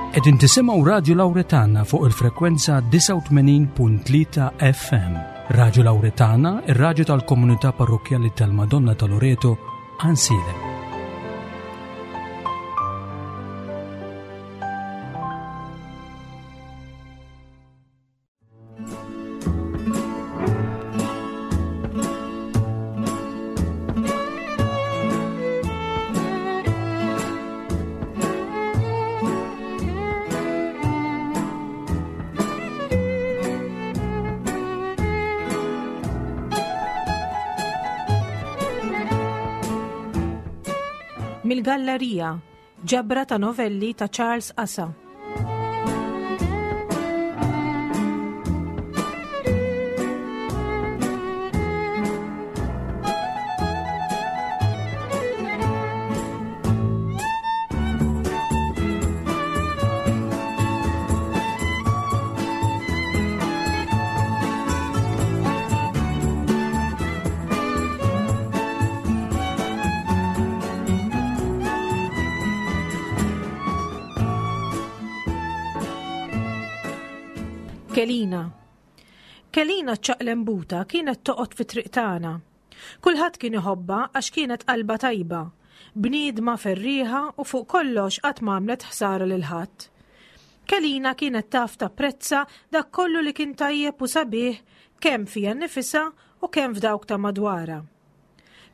Qegħdin tisimgħu Radju Lawretana fuq il-frekwenza 89.3 FM. Radju Lawretana, ir-radju tal-komunità parrokkjali tal-Madonna ta' Loreto, Ansilem. Mill-Gallerija, Ġabra ta' novelli ta' Charles Asa. Kelina. Kelina ċ-ċaqlembuta kienet toqgħod fi triq tagħna. Kulħadd kien iħobbha għax kienet qalba tajba, bniedma ferrieħa u fuq kollox qatt ma għamlet ħsara lil ħadd. Kelina kienet taf tapprezza dak kollu li kien tajjeb u sabiħ kemm fiha nnifisha u kemm f'dawk ta' madwarha.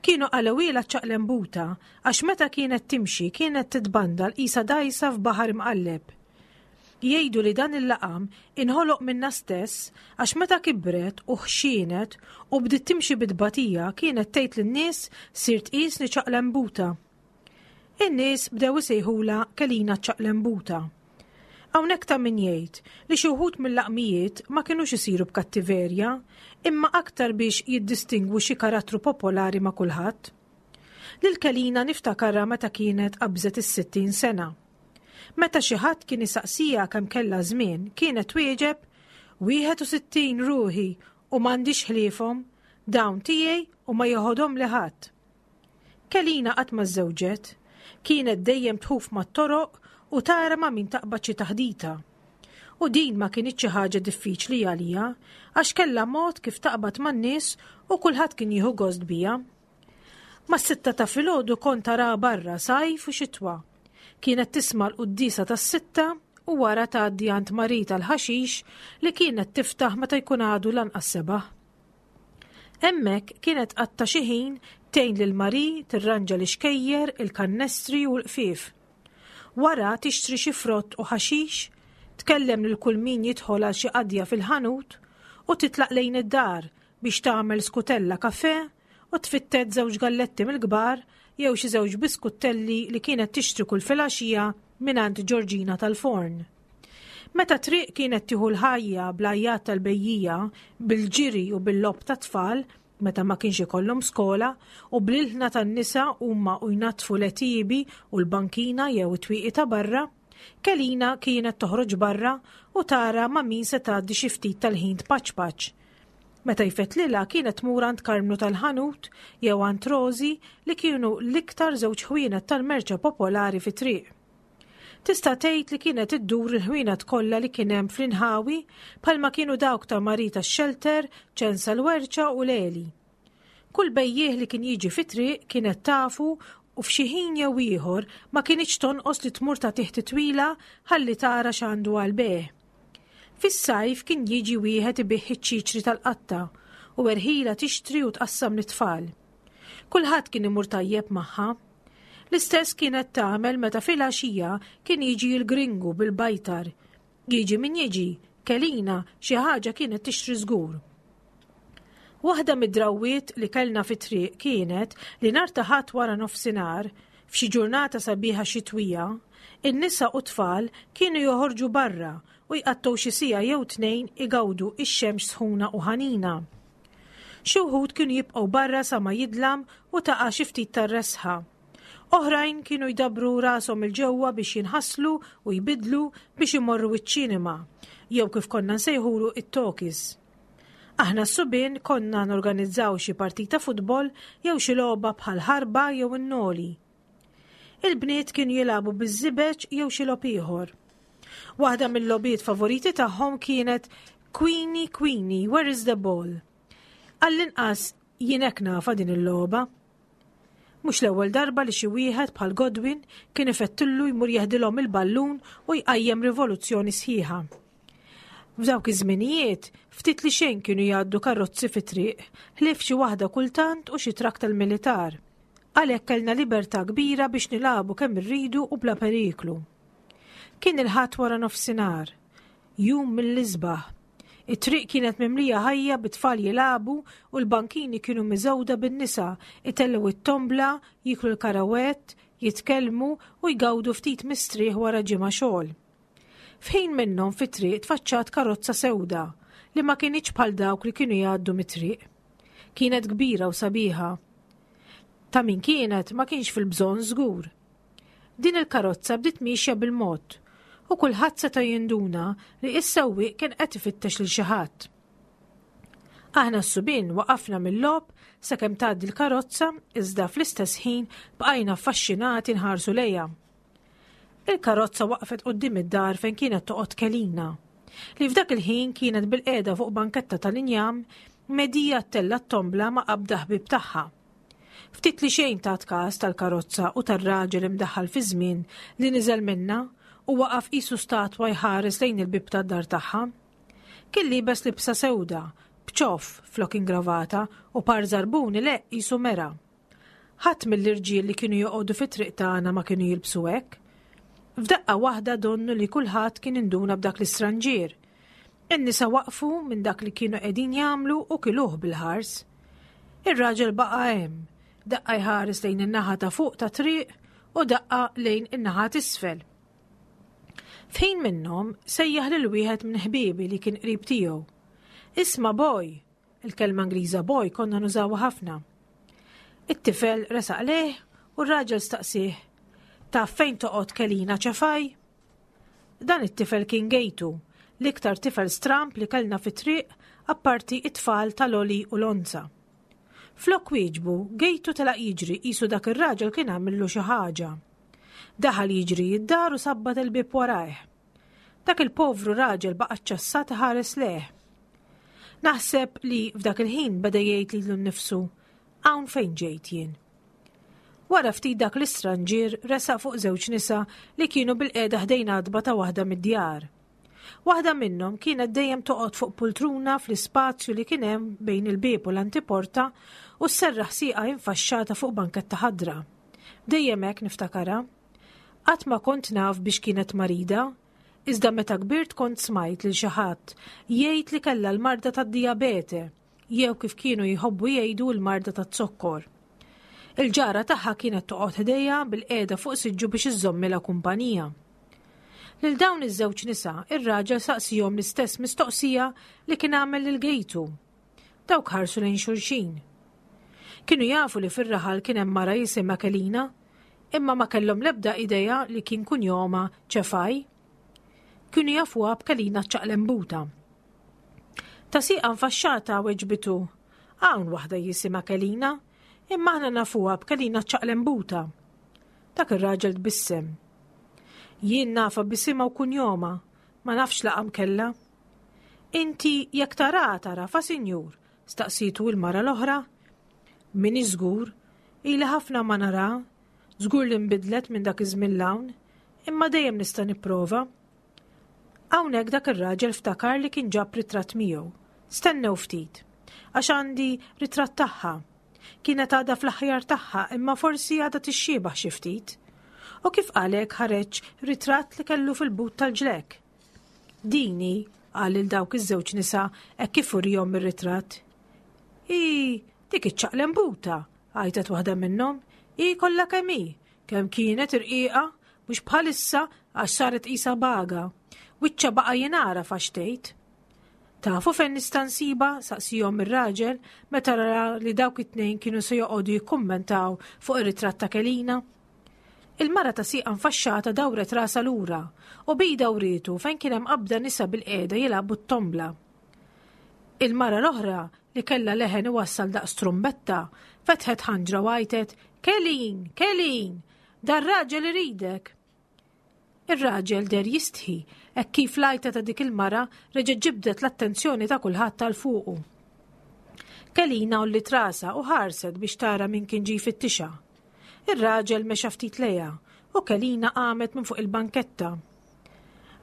Kienu qalewilha ċ-ċaqlembuta għax meta kienet timxi kienet titbandal qisha dgħajsa f'baħar imqalleb. Jgħidu li dan il-laqam inħoloq minnha stess għax meta kibret u ħxienet u bdiet timxi bi tbatija kienet tgħid lin-nies sirt qisni ċaqlembuta. In-nies bdew isejħulha Kelina ċ-ċaqlembuta. Hawnhekk ta' min jgħid li xi wħud mill-laqmijiet ma kinux isiru b'kattiverja, imma aktar biex jiddistingwu xi karattru popolari ma' kulħadd. Lil Kelina niftakarha meta kienet qabżet is-60 sena. Meta xi ħadd kien isaqsiha kemm kellha żmien, kienet twieġeb, 61 ruħi u m'għandix ħliefhom, dawn tiegħi u ma jeħodhomli ħadd. Kelina qatt ma żżewġet. Kienet dejjem tħuf mat-toroq u tara ma' min taqbad xi taħdita. U din ma kinitx xi ħaġa diffiċli għaliha għax kellha mod kif taqbad man-nies u kulħadd kien jieħu gost biha. Mas-sitta ta' filgħodu kont taraha barra sajf u xitwa. Kienet tisma' l-quddiesa tas-sitta u wara tgħaddi għand Marie tal-ħaxix li kienet tiftaħ meta jkun għadu lanqas sebaħ. Hemmhekk kienet tqatta' xi ħin tgħin lil Marie tirranġa l-ixkejjer, il-kannestri u l-qfief. Wara tixtri xi frott u ħaxix, tkellem lil kull min jidħol għal xi qadja fil-ħanut u titlaq lejn id-dar biex tagħmel skutella kafè u tfittet żewġ galletti mill-kbar jew xi żewġ biskuttelli li kienet tixtri kull filgħaxija mingħand Ġorġina tal-forn. Meta triq kienet tieħu l-ħajja bl-għajjat tal-bejjija, bil-ġiri u bil-logħob tat-tfal meta ma kienx ikollhom skola u bl-ilħna tan-nisa huma u jnaddfu l-għetiebi u l-bankina jew it-twieqi ta' barra, Kelina kienet toħroġ barra u tara ma' min se tgħaddi xi ftit tal-ħin tpaċpaċ. Meta jfettlilha kienet tmur għand Karmnu tal-ħanut jew għand Rożi li kienu l-iktar żewġ ħwienet tal-merċa popolari fit-triq. Tista' tgħid li kienet iddur il-ħwienet kollha li kien hemm fl-inħawi bħalma kienu dawk ta' Marie tax-Xelter, Ċensa l-Werċa u Leli. Kull bejjiegħ li kien jiġi fit-triq kienet tafu u f'xi ħin jew ieħor ma kinitx tonqos li tmur tagħtih titwila ħalli tara x'għandu għall-bejgħ. Fis-sajf kien jiġi wieħed ibigħ iċ-ċiċri tal-qatta u erħilha tixtri u tqassam lit-tfal. Kulħadd kien imur tajjeb magħha. L-istess kienet tagħmel meta filgħaxija kien jiġi l-gringu bil-bajtar. Jiġi min jiġi, Kelina xi ħaġa kienet tixtri żgur. Waħda mid-drawwiet li kellna fit-triq kienet li nhar ta' Ħadd wara nofsinhar, f'xi ġurnata sabiħa xitwija, in-nisa u t-tfal kienu joħorġu barra u jqattgħu xi siegħa jew tnejn igawdu x-xemx sħuna u ħanina. Xi wħud kienu jibqgħu barra sa ma jidlam u taqa' xi ftit tar-resħa. Oħrajn kienu jdabbru rashom 'il ġewwa biex jinħaslu u jbiddlu biex imorru iċ-ċinema, jew kif konna nsejħulu it-talkies. Aħna s-subien konna norganizzaw xi partita futbol jew xi logħba bħal ħarba jew in-noli. Il-bniet kienu jilagħbu biż-żibeġ jew xi logħob ieħor. Waħda mill-logħbiet favoriti tagħhom kienet Queenie Queenie, where is the ball? Għall-inqas jien hekk nafha din il-logħba. Mhux l-ewwel darba li xi wieħed bħal Godwin kien ifettillu jmur jeħdilhom il-ballun u jqajjem rivoluzzjoni sħiħa. F'dawk iż-żminijiet, ftit li xejn kienu jgħaddu karozzi fit-triq, ħlief xi waħda kultant u xi trakk tal-militar. Għalhekk kellna libertà kbira biex nilagħbu kemm irridu u bla periklu. Kien il-Ħadd wara nofsinhar, jum mill-isbaħ. It-triq kienet mimlija ħajja bit-tfal jilagħbu u l-bankini kienu miżgħuda bin-nisa itellgħu it-tombla, jieklu l-karawett, jitkellmu u jgawdu ftit mistrieħ wara ġimgħa xogħol. F'ħin minnhom fit-triq tfaċċat karozza sewda li ma kinitx bħal dawk li kienu jgħaddu mit-triq. Kienet kbira u sabiħa. Ta' min kienet ma kienx fil-bżonn żgur. Din il-karozza bdiet miexja bil-mod u kulħadd seta' jinduna li s-sewwieq kien qed ifittex lil xi ħadd. Aħna s-subien waqafna mill-logħob sakemm tgħaddi l-karozza iżda fl-istess ħin bqajna affaxxinati nħarsu lejha. Il-karozza waqfet quddiem id-dar fejn kienet toqgħod Kelina, li f'dak il-ħin kienet bilqiegħda fuq banketta tal-injam medija ttella' t-tombla ma' qabda ħbieb tagħha. Ftit li xejn tat każ tal-karozza u tar-raġel imdaħħal fiż-żmien li niżel minnha u waqaf qisu statwa jħares lejn il-bieb tad-dar tagħha. Kien liebes libsa sewda, b'ċoff flok ingravata u par żarbun ileqq qisu mera. Ħadd mill-irġiel li kienu joqogħdu fit-triq tagħna ma kienu jilbsu hekk. F'daqqa waħda donnu li kulħadd kien induna b'dak l-istranġier. In-nisa waqfu minn dak li kienu qegħdin jagħmlu u kiluh bil-ħars. Ir-raġel baqa' hemm, daqqa jħares lejn in-naħa ta' fuq ta' triq u daqqa lejn in-naħa t'isfel. F'ħin minnhom sejjaħ lil wieħed minn ħbiebi li kien qrib tiegħu. Isma' boy, Il-kelma Ingliża boy konna nużawha ħafna. It-tifel resaq lejh u r-raġel staqsih, Taf fejn toqgħod Kelina Ċefaj? Dan it-tifel kien Gejtu, l-iktar tifel stramb li kellna fit-triq apparti it-tfal tal-Oli u Lonza. Flok wieġbu, Gejtu telaq jiġri qisu dak ir-raġel kien għamillu xi ħaġa. Daħal jiġri id-dar u sabbat il-bieb warajh. Dak il-povru raġel baqa' ċċassat iħares lejh. Naħseb li f'dak il-ħin beda jgħid lilu nnifsu, hawn fejn ġejt jien. Wara ftit dak l-istranġier resaq fuq żewġ nisa li kienu bilqiegħda ħdejn għatba ta' waħda mid-djar. Waħda minnhom kienet dejjem toqgħod fuq pultruna fl-ispazju li kien hemm bejn il-bieb u l-antiporta u sserraħ sieqa infaxxata fuq banketta ħadra. Dejjem hekk niftakarha. Qatt ma kont naf biex kienet marida, iżda meta kbirt kont smajt lil xi ħadd jgħid li kellha l-marda tad-dijabete jew kif kienu jħobbu jgħidu l-marda taz-zokkor. Il-ġara tagħha kienet toqgħod ħdejha bilqiegħda fuq siġġu biex iżżommilha kumpanija. Lil dawn iż-żewġ nisa, ir-raġel saqsihom l-istess mistoqsija li kien għamel lil Gejtu. Dawk ħarsu lejn xulxin. Kienu jafu li fir-raħal kien hemm mara jisimha Kelina, imma ma kellhom l-ebda idea li kien kunjomha Ċefaj. Kienu jafuha b'Kelina ċ-ċaqlembuta. Ta' sieqa nfaxxata weġbitu, Hawn waħda jisimha Kelina, imma aħna nafuha b'Kelina ċ-ċaqlembuta. Dak ir-raġel tbissem. Jien nafha b'isimha u kunjomha, ma nafx laqam kellha. Inti jekk taraha tagħrafha, sinjur? staqsietu l-mara l-oħra. M'iniex żgur, ili ħafna ma naraha, żgur li nbidlet minn dak iż-żmien 'l hawn, imma dejjem nista' nipprova. Hawnhekk dak ir-raġel ftakar li kien ġab ritratt miegħu. Stennew ftit, għax għandi ritratt tagħha. Kienet għadha fl-aħjar tagħha imma forsi għadha tixxiebaħ xi ftit. U kif qal hekk ħareġ ritratt li kellu fil-but tal-ġlekk. Din hi, qal lil dawk iż-żewġ nisa hekk kif urihom ir-ritratt. Hi, dik iċ-ċaqlembuta, għajtet waħda minnhom. Hi kollha kemm hi, kemm kienet irqiqa, mhux bħalissa għax saret qisha baga. Wiċċha baqa' jingħaraf għax tgħid. Tafu fejn nista' nsibha? saqsihom ir-raġel meta ra li dawk it-tnejn kienu se joqogħdu jikkummentaw fuq ir-ritratt ta' Kelina. Il-mara ta' sieqa nfaxxata dawret rasha lura u b'idha wrietu fejn kien hemm qabda nisa bilqiegħda jilagħbu t-tombla. Il-mara l-oħra, li kellha leħen iwassal daqs trumbetta, fetħet ħanġra u għajtet, Kelin! Kelin! Dar-raġel iridek! Ir-raġel deher jistħi hekk kif l-għajta ta' dik il-mara reġgħet ġibdet l-attenzjoni ta' kulħadd għal fuqu. Kelina għolliet rasha u ħarset biex tara min kien ġie jfittixha. Ir-raġel mexa ftit lejha u Kelina qamet minn fuq il-banketta.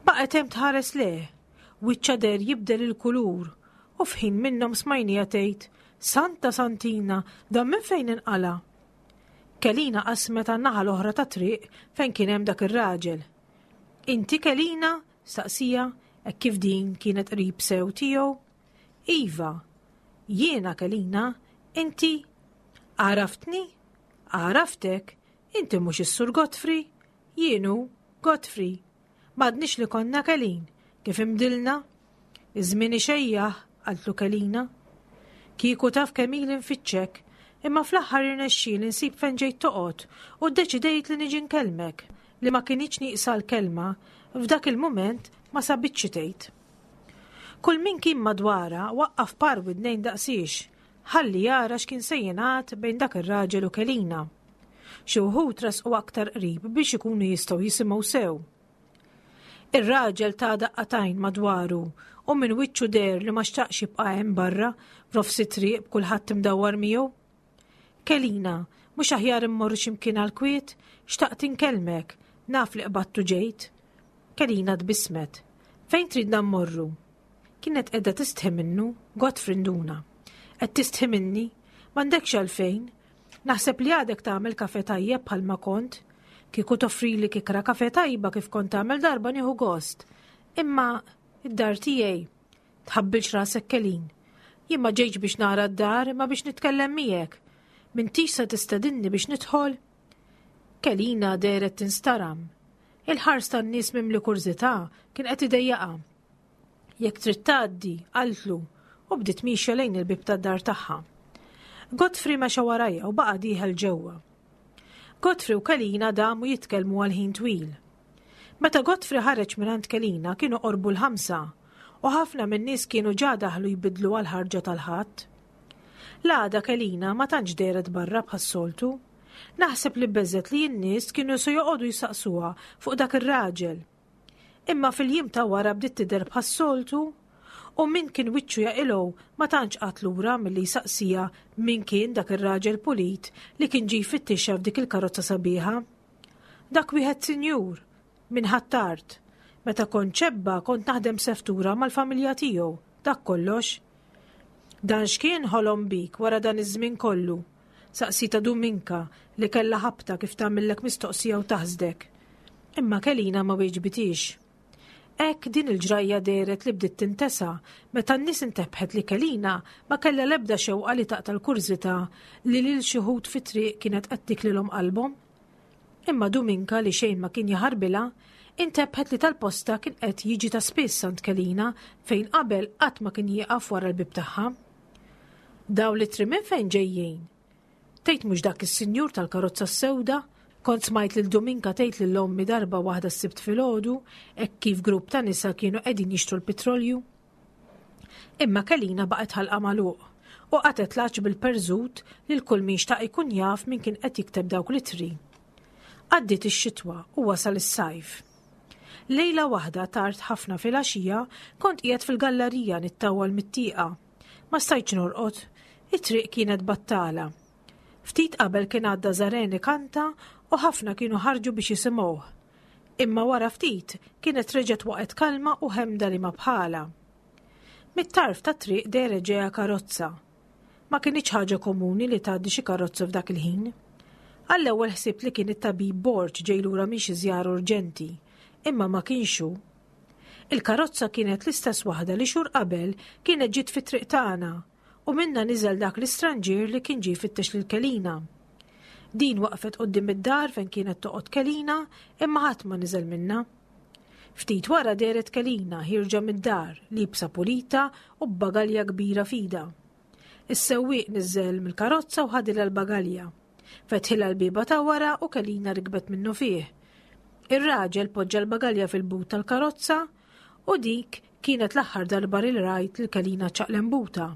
Baqgħet hemm tħares lejh, wiċċha deher jibdel il-kulur u f'ħin minnhom smajniha tgħid, Santa Santina, dan minn fejn inqala'? Kelina qasmet għan-naħa l-oħra tat-triq fejn kien hemm dak ir-raġel. Inti Kelina? staqsija hekk kif din kienet qrib sew tiegħu. Iva, jiena Kelina, inti għaraftni? Għaraftek, inti mhux is-Sur Godfrey? Jien hu Godfrey. M'għadniex li konna Kelin, kif imbdilna? Iż-żmien ixejjaħ, qaltlu Kelina. Kieku taf kemm ili nfittxek, imma fl-aħħar irnexxieli nsib fejn ġejt toqgħod u ddeċidejt li niġi nkellmek. Li ma kinitx nieqsa l-kelma, f'dak il-mument ma sabitx xi tgħid. Kull min kien madwarha waqqaf par widnejn daqsiex, ħalli jara x'kien se jingħad bejn dak ir-raġel u Kelina. Xi wħud resqu aktar qrib biex ikunu jistgħu jisimgħu sew. Ir-raġel ta daqqa t'għajn madwaru u minn wiċċu deher li ma xtaqx jibqa' hemm barra f'nofs it-triq b'kulħadd imdawwar miegħu. Kelina, mhux aħjar immorru xi mkien għall-kwiet? Xtaqt inkellmek, naf li qbadt u ġejt. Kelina tbissmet. Fejn tridna mmorru? Kienet qiegħda tistħi minnu, Godfrey nduna. Qed tistħi minni? M'għandekx għalfejn. Naħseb li għadek tagħmel kafe tajjeb bħalma kont. Kieku toffrili kikra kafe tajba kif kont tagħmel darba nieħu gost. Imma id-dar tiegħi. Tħabbilx rasek Kelin. Jien ma ġejtx biex nara d-dar imma biex nitkellem miegħek. M'intix se tistedinni biex nidħol? Kelina dehret tinstaram. Il-ħars tan-nies mimli kurżità kien qed idejjaqha. Jekk trid tgħaddi, qaltlu, u bdiet miexja lejn il-bieb tad-dar tagħha. Godfrey mexa warajha u baqa' dieħel ġewwa. Godfrey u Kelina damu jitkellmu għal ħin twil. Meta Godfrey ħareġ mingħand Kelina kienu qorbu l-ħamsa u ħafna min-nies kienu ġa daħlu jbiddlu għall-ħarġa tal-Ħadd. L-għada Kelina ma tantx dehret barra bħas-soltu. Naħseb li beżgħet li n-nies kienu se joqogħdu jsaqsuha fuq dak ir-raġel. Imma fil-jiem ta' wara bdiet tidher bħas-soltu u min kien wiċċu jaqilgħu ma tantx qagħad lura milli jsaqsiha min kien dak ir-raġel pulit li kien ġie jfittixha f'dik il-karozza sabiħa. Dak wieħed sinjur, minn Ħ'Attard. Meta kont ċebba kont naħdem seftura mal-familja tiegħu, dak kollox. Dan x'kien ħolom bik wara dan iż-żmien kollu? Saqsitha Duminka li kellha ħabta kif tagħmillek mistoqsija u taħsdek. Imma Kelina ma wieġbitix. Hekk din il-ġrajja dehret li bdiet tintesa meta n-nies intebħet li Kelina ma kellha l-ebda xewqa li taqta' l-kurżità li lil xi wħud fit-triq kienet qed tiklilhom qalbhom. Imma Duminka li xejn ma kien jaħarbilha, intebħet li tal-posta kien qed jiġi ta' spiss għand Kelina fejn qabel qatt ma kien jieqaf wara l-bieb tagħha. Dawn l-ittri minn fejn ġejjin? Tgħid mhux dak is-sinjur tal-karozza s-sewda? Kont smajt lil Duminka tgħid lil ommi darba waħda s-Sibt filgħodu hekk kif grupp ta' nisa kienu qegħdin jixtru l-pitrolju. Imma Kelina baqgħet ħalqa magħluq u qatgħet l-għatx bil-perżut lil kull min xtaq ikun jaf min kien qed jikteb dawk l-ittri. Għaddiet ix-xitwa u wasal is-sajf. Lejla waħda tard ħafna filgħaxija kont qiegħed fil-gallarija nittawwal mit-tieqa. Ma stajtx norqod. It-triq kienet battala. Ftit qabel kien għadda Żaren ikanta u ħafna kienu ħarġu biex jisimgħuh. Imma wara ftit kienet reġgħet waqgħet kalma u ħemda li ma bħalha. Mit-tarf tat-triq dehret ġejja karozza. Ma kinitx ħaġa komuni li tgħaddi xi karozza f'dak il-ħin. Għall-ewwel ħsibt li kien it-tabib Borg ġej lura minn xi żjara urġenti, imma ma kienx hu. Il-karozza kienet l-istess waħda li xhur qabel kienet ġiet fit-triq tagħna u minnha niżel dak l-istranġier li kien ġie jfittex lil Kelina. Din waqfet quddiem id-dar fejn kienet toqgħod Kelina imma ħadd ma niżel minnha. Ftit wara dehret Kelina ħierġa mid-dar, liebsa pulita u b'bagalja kbira f'idha. Is-sewwieq niżel mill-karozza u ħadilha l-bagalja. Fetħilha l-bieba ta' wara u Kelina rikbet minnufih. Ir-raġel poġġa l-bagalja fil-but tal-karozza u dik kienet l-aħħar darba li rajt lil Kelina ċaqlembuta.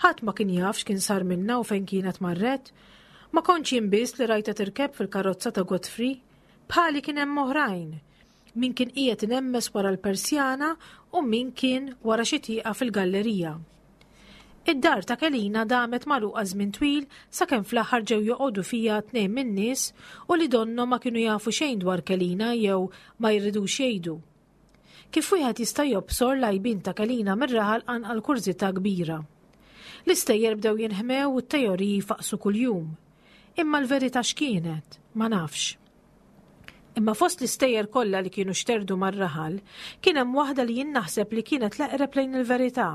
Ħadd ma kien jaf x'kien sar minnha u fejn kienet marret. Ma kontx jien biss li rajtha tirkeb fil-karozza ta' Godfrey. Bħali kien hemm oħrajn. Min kien qiegħed inemmes wara l-persjana u min kien wara xi tieqa fil-gallerija. Id-dar ta' Kelina damet magħluqa żmien twil sakemm fl-aħħar ġew joqogħdu fiha tnejn min-nies u li donnhom ma kienu jafu xejn dwar Kelina jew ma jridux jgħidu. Kif wieħed jista' jobsor l-għajbien ta' Kelina mir-raħal qanqal kurżità kbira. L-istejjer bdew jinħmew u t-teoriji faqsu kuljum. Imma l-verità x'kienet? Ma nafx. Imma fost l-istejjer kollha li kienu xterdu mar-raħal, kien hemm waħda li jien naħseb li kienet l-eqreb lejn il-verità.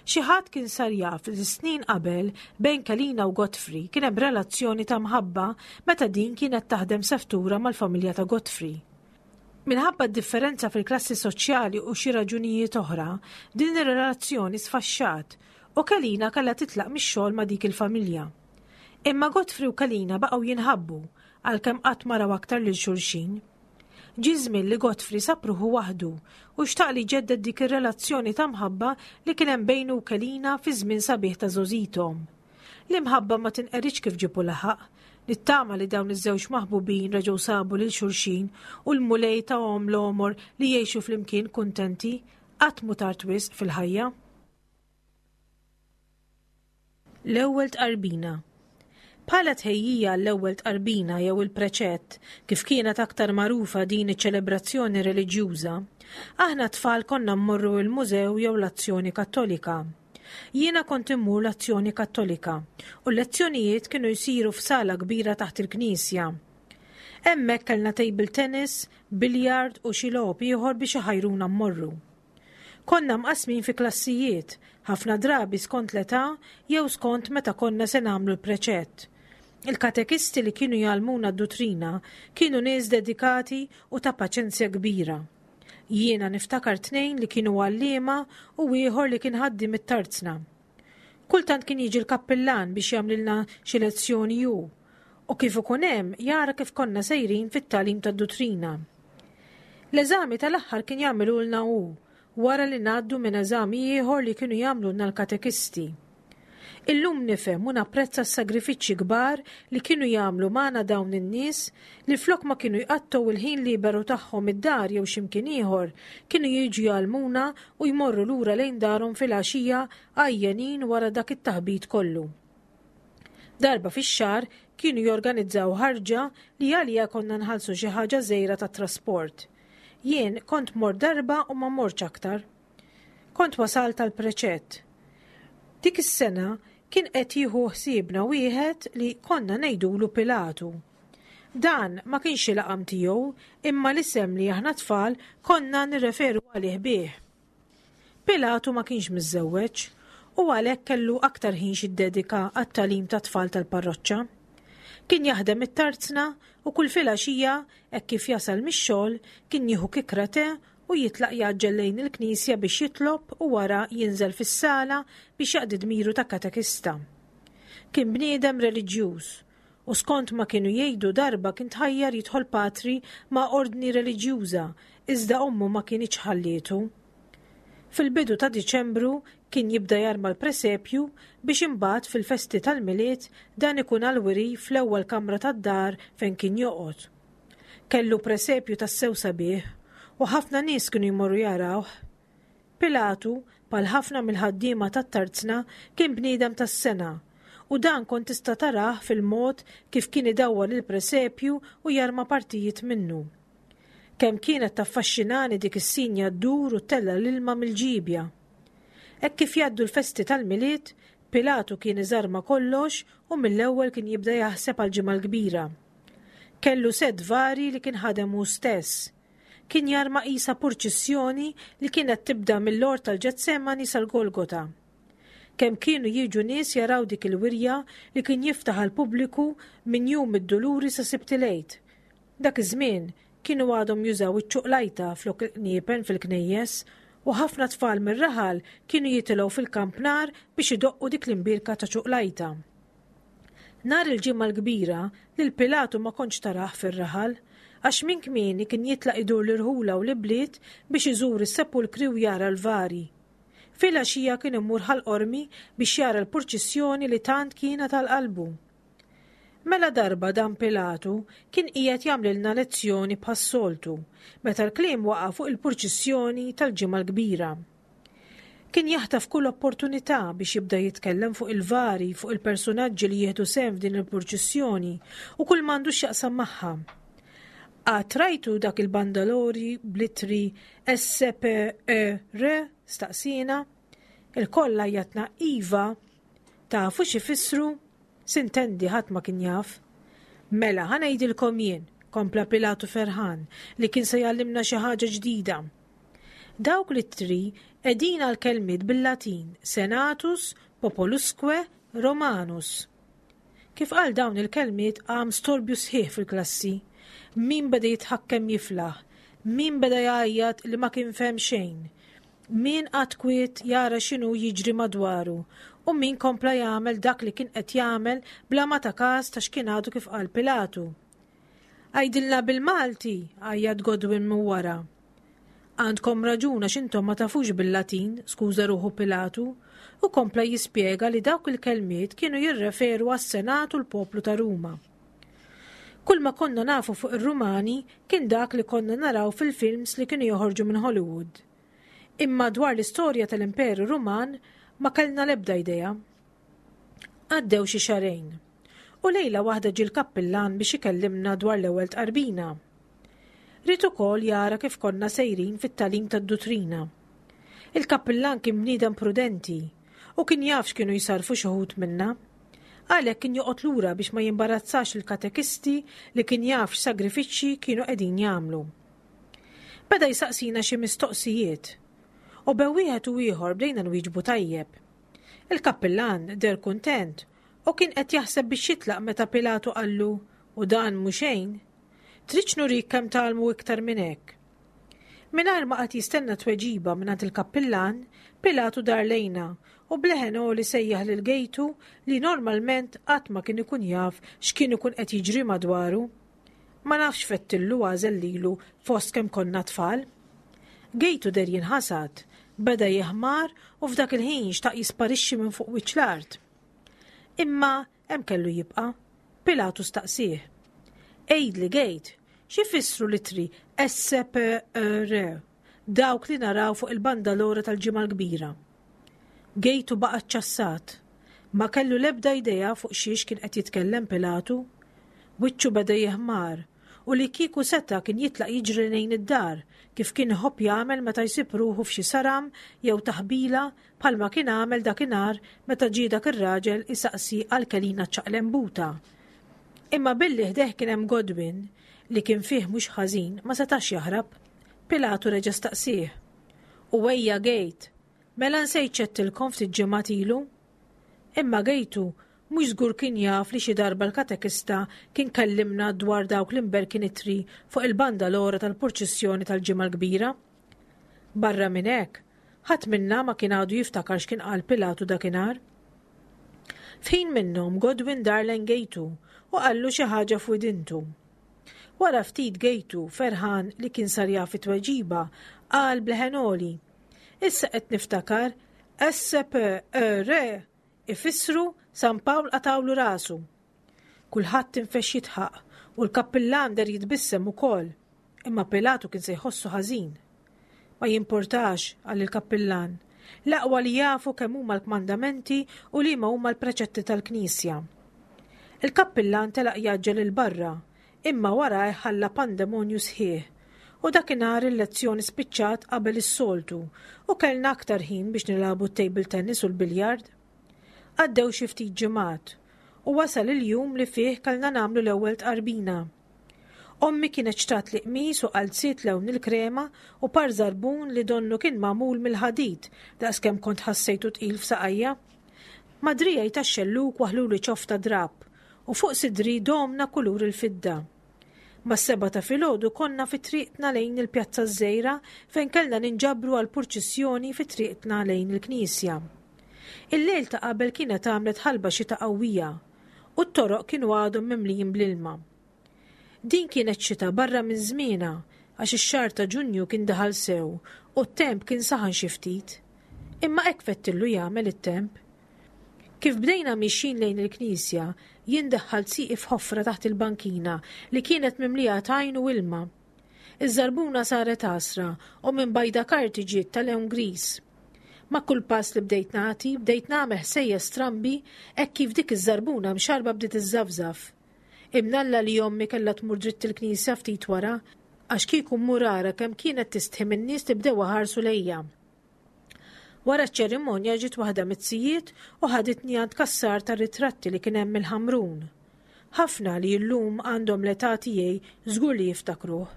Xi ħadd kien sar jaf li snin qabel bejn Kelina u Godfrey kien hemm relazzjoni ta' mħabba meta din kienet taħdem seftura mal-familja ta' Godfrey. Minħabba d-differenza fil-klassi soċjali u xi raġunijiet oħra, din ir-relazzjoni sfaxxat u Kelina kellha titlaq mix-xogħol ma' dik il-familja. Imma Godfrey u Kelina baqgħu jinħabbu għalkemm qatt ma raw aktar lil xulxin. Ġie żmien li Godfrey sab ruħu waħdu u xtaq li jġedded dik ir-relazzjoni ta' mħabba li kien hemm bejnu u Kelina fi żmien sabiħ ta' żgħożithom. L-imħabba ma tinqeridx kif ġieb u laħaq. Nittama li dawn iż-żewġ maħbubin reġgħu sabu lil xulxin u l-Mulej tahom l-għomor li jgħixu flimkien kuntenti. Qatt mhu tard wisq fil-ħajja. L-ewwel tqarbina. Bħala tħejjija għall-ewwel tqarbina jew il-preċett, kif kienet aktar magħrufa din iċ-ċelebrazzjoni reliġjuża, aħna t-tfal konna mmorru l-mużew jew l-Azzjoni Kattolika. Jiena kont immur l-Azzjoni Kattolika u l-lezzjonijiet kienu jsiru f'sala kbira taħt il-knisja. Hemmhekk kellna table tennis, billiard u xi logħob ieħor biex iħajruna mmorru. Konna mqassmin fi klassijiet, ħafna drabi skont l-età jew skont meta konna se nagħmlu l-preċett. Il-katekisti li kienu jgħallmuna d-duttrina kienu nies dedikati u ta' paċenzja kbira. Jiena niftakar tnejn li kienu għalliema u ieħor li kien ħaddiem it-tarzna. Kultant kien jiġi l-kappillan biex jagħmlilna xi lezzjoni hu u kif ikun hemm jara kif konna sejrin fit-tagħlim tad-duttrina. L-eżami tal-aħħar kien jagħmilulna hu wara li ngħaddu minn eżami ieħor li kienu jagħmlulna l-katekisti. Illum nifhem u napprezza s-sagrifiċċji kbar li kienu jagħmlu magħna dawn in-nies li flok ma kienu jqattgħu il-ħin liberu tagħhom id-dar jew x'imkien ieħor, kienu jiġu jgħallmuna u jmorru lura lejn darhom filgħaxija għajjenin wara dak it-taħbit kollu. Darba fix-xahar kienu jorganizzaw ħarġa li għaliha konna nħallsu xi ħaġa żgħira tat-trasport. Jien kont mort darba u ma mortx aktar. Kont wasalt għall-preċett. Dik is-sena kien qed jieħu ħsiebna wieħed li konna ngħidulu Pilatu. Dan ma kienx xi laqam tiegħu imma l-isem li aħna tfal konna nirreferu għalih bih. Pilatu ma kienx miżżewweġ u għalhekk kellu aktar ħin x'iddedika għat-tagħlim tat-tfal tal-parroċċa. Kien jaħdem it-tarzna u kull filgħaxija hekk kif jasal mix-xogħol kien jieħu kikra te u jitlaq jgħaġġel lejn il-knisja biex jitlob u wara jinżel fis-sala biex jaqdi dmiru ta' katekista. Kien bniedem reliġjuż u skont ma kienu jgħidu darba kien tħajjar jidħol patri ma' ordni reliġjuża iżda ommu ma kinitx ħallietu. Fil-bidu ta' Diċembru kien jibda jarma l-presepju biex imbagħad fil-festi tal-Milied dan ikun għall-wiri fl-ewwel kamra tad-dar fejn kien joqgħod. Kellu presepju tassew sabiħ u ħafna nies kienu jmorru jarawh. Pilatu, bħal ħafna mill-ħaddiema tat-tarzna, kien bniedem tas-sengħa, u dan kont tista' tarah fil-mod kif kien idawwar il-presepju u jarma partijiet minnu. Kemm kienet taffaxxinani dik is-sinja ddur u ttella' l-ilma mill-ġiebja. Hekk kif jgħaddu l-festi tal-Milied, Pilatu kien iżarma kollox u mill-ewwel kien jibda jaħseb għall-Ġimgħa l-Kbira. Kellu sett vari li kien ħadem hu stess. Kien jarma qisha purċissjoni li kienet tibda mill-Ort tal-Ġetsemani sal-Golgota. Kemm kienu jiġu nies jaraw dik il-wirja li kien jiftaħ għall-pubbliku minn Jum id-Duluri sa Sibt il-Għid. Dak iż-żmien kienu għadhom jużaw iċ-ċuqlajta flok il-qniepen fil-knejjes u ħafna tfal mir-raħal kienu jitilgħu fil-kampnar biex idoqqu dik l-imbierka ta' ċuqlajta. Nhar il-Ġimgħa l-Kbira, lil Pilatu ma kontx tarah fir-raħal, għax minn kmieni kien jitlaq idur l-irħula u l-ibliet biex iżur is-sepulkri u jara l-vari. Filgħaxija kien imur Ħal Qormi biex jara l-purċissjoni li tant kienet għal qalbu. Mela darba dan Pilatu kien qiegħed jagħmlilna lezzjoni bħas-soltu meta l-kliem waqa' fuq il-purċissjoni tal-Ġimgħa l-Kbira. Kien jaħtaf kull opportunità biex jibda jitkellem fuq il-vari, fuq il-persunaġġi li jieħdu sehem f'din il-purċissjoni u kull m'għandu x'jaqsam magħha. Qatt rajtu dak il-bandalori bl-ittri S-P-E-R? staqsiena. Ilkoll għajjatna iva. Tafu x'ifissru? Sintendi ħadd ma kien jaf. Mela, ħa ngħidilkom jien, kompla Pilatu ferħan li kien se jgħallimna xi ħaġa ġdida. Dawk l-ittri qegħdin għal kelmiet bil-Latin Senatus Populusque Romanus. Kif qal dawn il-kelmiet qam storbju sħiħ fil-klassi. Min beda jitħakkem jiflaħ, min beda jgħajjat li ma kien fehem xejn, min qagħad kwiet jara x'inhu jiġri madwaru u min kompla jagħmel dak li kien qed jagħmel bla ma ta kas ta' x'kien għadu kif qal Pilatu. Għidilna bil-Malti, għajjat Godwin minn wara. Għandkom raġun għax intom ma tafux bil-Latin, skuża ruħu Pilatu, u kompla jispjega li dawk il-kelmiet kienu jirreferu għas-Senat u l-poplu ta' Ruma. Kull ma konna nafu fuq ir-Rumani kien dak li konna naraw fil-films li kienu joħorġu minn Hollywood. Imma dwar l-istorja tal-Imperu Ruman ma kellna l-ebda idea. Għaddew xi xahrejn. U lejla waħda ġie l-kappillan biex ikellimna dwar l-ewwel tqarbina. Ried ukoll jara kif konna sejrin fit-tagħlim tad-dutrina. Il-kappillan kien bniedem prudenti u kien jaf x'kienu jsarrfu xi wħud minna. Għalhekk kien joqgħod lura biex ma jimbarazzax lill-katekisti li kien jaf x'sagrifiċċji kienu qegħdin jagħmlu. Beda jsaqsina xi mistoqsijiet u bew wieħed u ieħor bdejna nwieġbu tajjeb. Il-kappillan deher kuntent u kien qed jaħseb biex jitlaq meta Pilatu qallu, U dan mhu xejn. Tridx nurik kemm tgħallmu iktar minn hekk? Mingħajr ma qagħad jistenna tweġiba mingħand il-kappillan, Pilatu dar lejna u b'leħen għoli sejjaħ lil Gejtu li normalment qatt ma kien ikun jaf x'kien ikun qed jiġri madwaru. Ma nafx fettillu għażel lilu fost kemm konna tfal. Gejtu deher jinħasad, beda jiħmar u f'dak il-ħin xtaq jisparixxi minn fuq wiċċ l-art. Imma Hemm kellu jibqa'. Pilatu staqsieh. Għidli, Gejt, x'ifissru l-ittri S-P-R, dawk li naraw fuq il-bandalora tal-Ġimgħa l-Kbira? Gejtu baqa' ċċassat. Ma kellu l-ebda idea fuq xiex kien qed jitkellem Pilatu. Wiċċu beda jiħmar u li kieku seta' kien jitlaq jiġri lejn id-dar, kif kien iħobb jagħmel meta jsib ruħu f'xi saram jew taħbila bħalma kien għamel dakinhar meta ġie dak ir-raġel isaqsi għal Kelina ċ-ċaqlembuta. Imma billi ħdejh kien hemm Godwin, li kien fih mhux ħażin, ma setax jaħrab. Pilatu reġa' staqsieh. U ejja Gejt, mela nsejt x'għedtilkom ftit ġimgħat ilu? Imma Gejtu mhux żgur kien jaf li xi darba l-katekista kien kellimna dwar dawk l-imberkin ittri fuq il-bandalora tal-purċissjoni tal-Ġimgħa l-Kbira. Barra minn hekk, Ħadd minna ma kien għadu jiftakar x'kien qal Pilatu dakinhar. F'ħin minnhom Godwin dar lejn Gejtu u qallu xi ħaġa f'widintu. Wara ftit Gejtu, ferħan li kien sar jaf it-tweġiba, qal b'leħen għoli, Issa qed niftakar S-P-E-R ifissru San Pawl qatgħulu rasu. Kulħadd infexx jidħaq u l-kappillan deher jitbissem ukoll, imma Pilatu kien se jħossu ħażin. Ma jimpurtax, qal il-kappillan. L-aqwa li jafu kemm huma l-kmandamenti u liema huma l-preċetti tal-Knisja. Il-kappillan telaq jgħaġġel 'il barra, imma warajh ħalla pandemonju sħiħ, u dakinhar il-lezzjoni spiċċat qabel is-soltu u kellna aktar ħin biex nilagħbu t-table tennis u l-biljard. Għaddew xi ftit ġimgħat u wasal il-jum li fih kellna nagħmlu l-ewwel tqarbina. Ommi kienet xtratli qmis u qalziet lewn il-krema u par żarbun li donnu kien magħmul mill-ħadid daqskemm kont ħassejtu tqil f'saqajja. Ma' driegħi tax-xellug waħluli ċoff ta' drapp u fuq sidri domna kulur il-fidda. Mas-sebgħa ta' filgħodu konna fi triqtna lejn il-Pjazza ż-Żgħira fejn kellna ninġabru għall-purċissjoni fi triqtna lejn il-knisja. Il-lejl ta' qabel kienet għamlet ħalba xita qawwija u t-toroq kienu għadhom mimlijin bl-ilma. Din kienet xita barra minn żmienha għax ix-xahar ta' Ġunju kien daħal sew u t-temp kien saħan xi ftit. Imma hekk fettillu jagħmel it-temp. Kif bdejna mixjin lejn il-knisja, jien daħħalt sieqi f'ħofra taħt il-bankina li kienet mimlija tajn u ilma. Iż-żarbuna saret għasra u minn bajda karti ġiet ta' lewn griż. Ma' kull pass li bdejt nagħti, bdejt nagħmel ħsejjes strambi hekk kif dik iż-żarbuna mxarrba bdiet iżżafżaf. Imnalla li ommi kellha tmur dritt il-knisja ftit wara, għax kieku mmur ara kemm kienet tistħi min-nies li bdew iħarsu lejja. Wara ċ-ċerimonja ġiet waħda miz-zijiet u ħaditni għand kassar tar-ritratti li kien hemm il-Ħamrun. Ħafna li llum għandhom l-età tiegħi żgur li jiftakruh.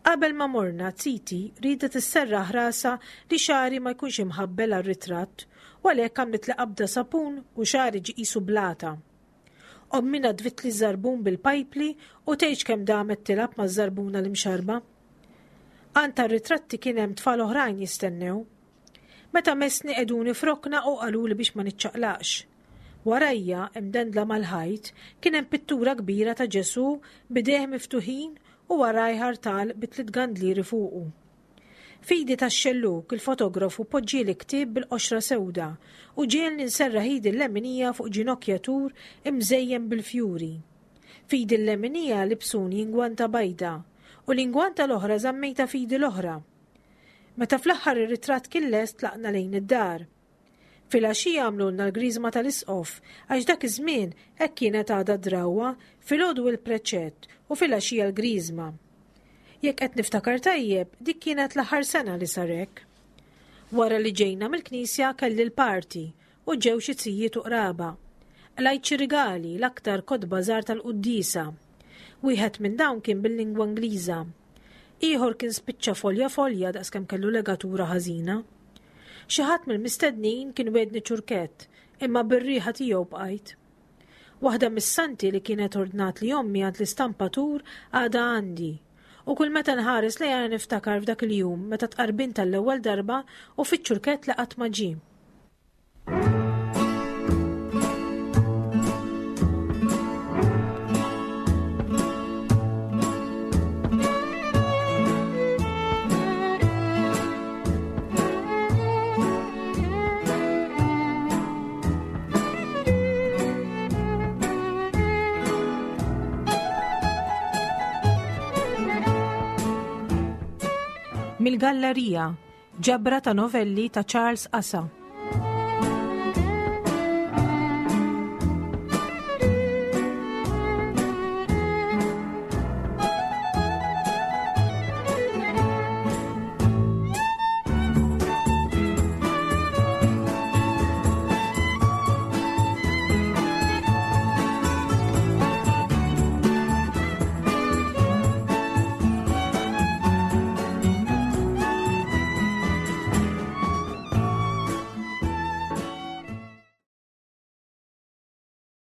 Qabel ma morna, ziti riedet isserraħ rasha li xagħri ma jkunx imħabbel għar-ritratt u għalhekk għamlitli qabda sapun u xagħri ġie qisu blata. Ommi nadvitli ż-żarbun bil-pajpli u tgħidx kemm damet tilgħab maż-żarbuna l-imxarrba. Għand tar-ritratti kien hemm tfal oħrajn jistennew. Meta messni qegħduni f'rokna u qaluli biex ma niċċaqlaqx. Warajja, imdendla mal-ħajt, kien hemm pittura kbira ta' Ġesù b'idejh miftuħin u warajh artal bi tliet gandlieri fuqu. F'idi tax-xellug, il-fotografu poġġieli ktieb bil-qoxra sewda u ġiegħelni nserraħ idi l-leminija fuq ġinokjatur imżejjen bil-fjuri. F'idi l-leminija libsuni ingwanta bajda u l-ingwanta l-oħra żammejtha f'idi l-oħra. Meta fl-aħħar ir-ritratt kien lest tlaqna lejn id-dar. Filgħaxija għamlulna l-griżma tal-isqof għax dak iż-żmien hekk kienet għadha d-drawwa, filgħodu il-preċett u filgħaxija l-griżma. Jekk qed niftakar tajjeb, dik kienet l-aħħar sena li sar hekk. Wara li ġejna mill-knisja kelli l-party u ġew xi zijiet u qraba. Qlajt xi rigali, l-aktar kotba żgħar tal-quddiesa. Wieħed minn dawn kien bil-lingwa Ingliża. Ieħor kien spiċċa folja folja daqskemm kellu legatura ħażina. Xi ħadd mill-mistednin kien wegħdni ċurkett, imma bir-riħa tiegħu bqajt. Waħda mis-santi li kienet ordnat li ommi għand l-istampatur għadha għandi. U kull meta nħares lejha niftakar f'dak il-jum meta tqarbin tal-ewwel darba u fiċ-ċurkett li qatt ma ġie. Mill-Gallerija, ġabra ta' novelli ta' Charles Asa.